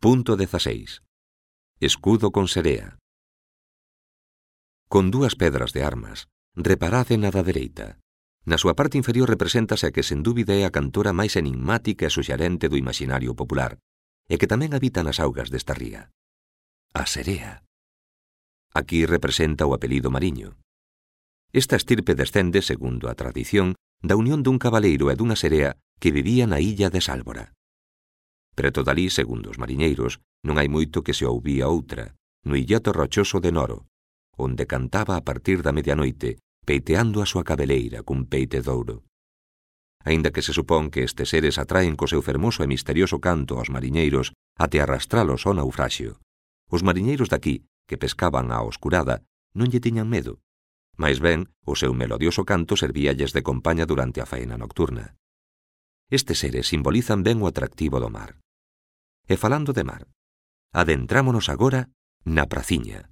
Punto 16. Escudo con serea. Con dúas pedras de armas, reparade na da dereita. Na súa parte inferior represéntase a que sen dúbida é a cantora máis enigmática e suxerente do imaxinario popular, e que tamén habita nas augas desta ría. A serea. Aquí representa o apelido Mariño. Esta estirpe descende, segundo a tradición, da unión dun cabaleiro e dunha serea que vivía na illa de Sálvora. Preto dali, segundo os mariñeiros, non hai moito que se ouvía outra, no illote rochoso de Noro, onde cantaba a partir da medianoite, peiteando a súa cabeleira cun peite de ouro. Aínda que se supón que estes seres atraen co seu fermoso e misterioso canto aos mariñeiros até arrastralos ao naufraxio, os mariñeiros daqui, que pescaban á oscurada, non lle tiñan medo. Mais ben, o seu melodioso canto servíalles de compaña durante a faena nocturna. Estes seres simbolizan ben o atractivo do mar. E falando de mar, adentrámonos agora na praciña.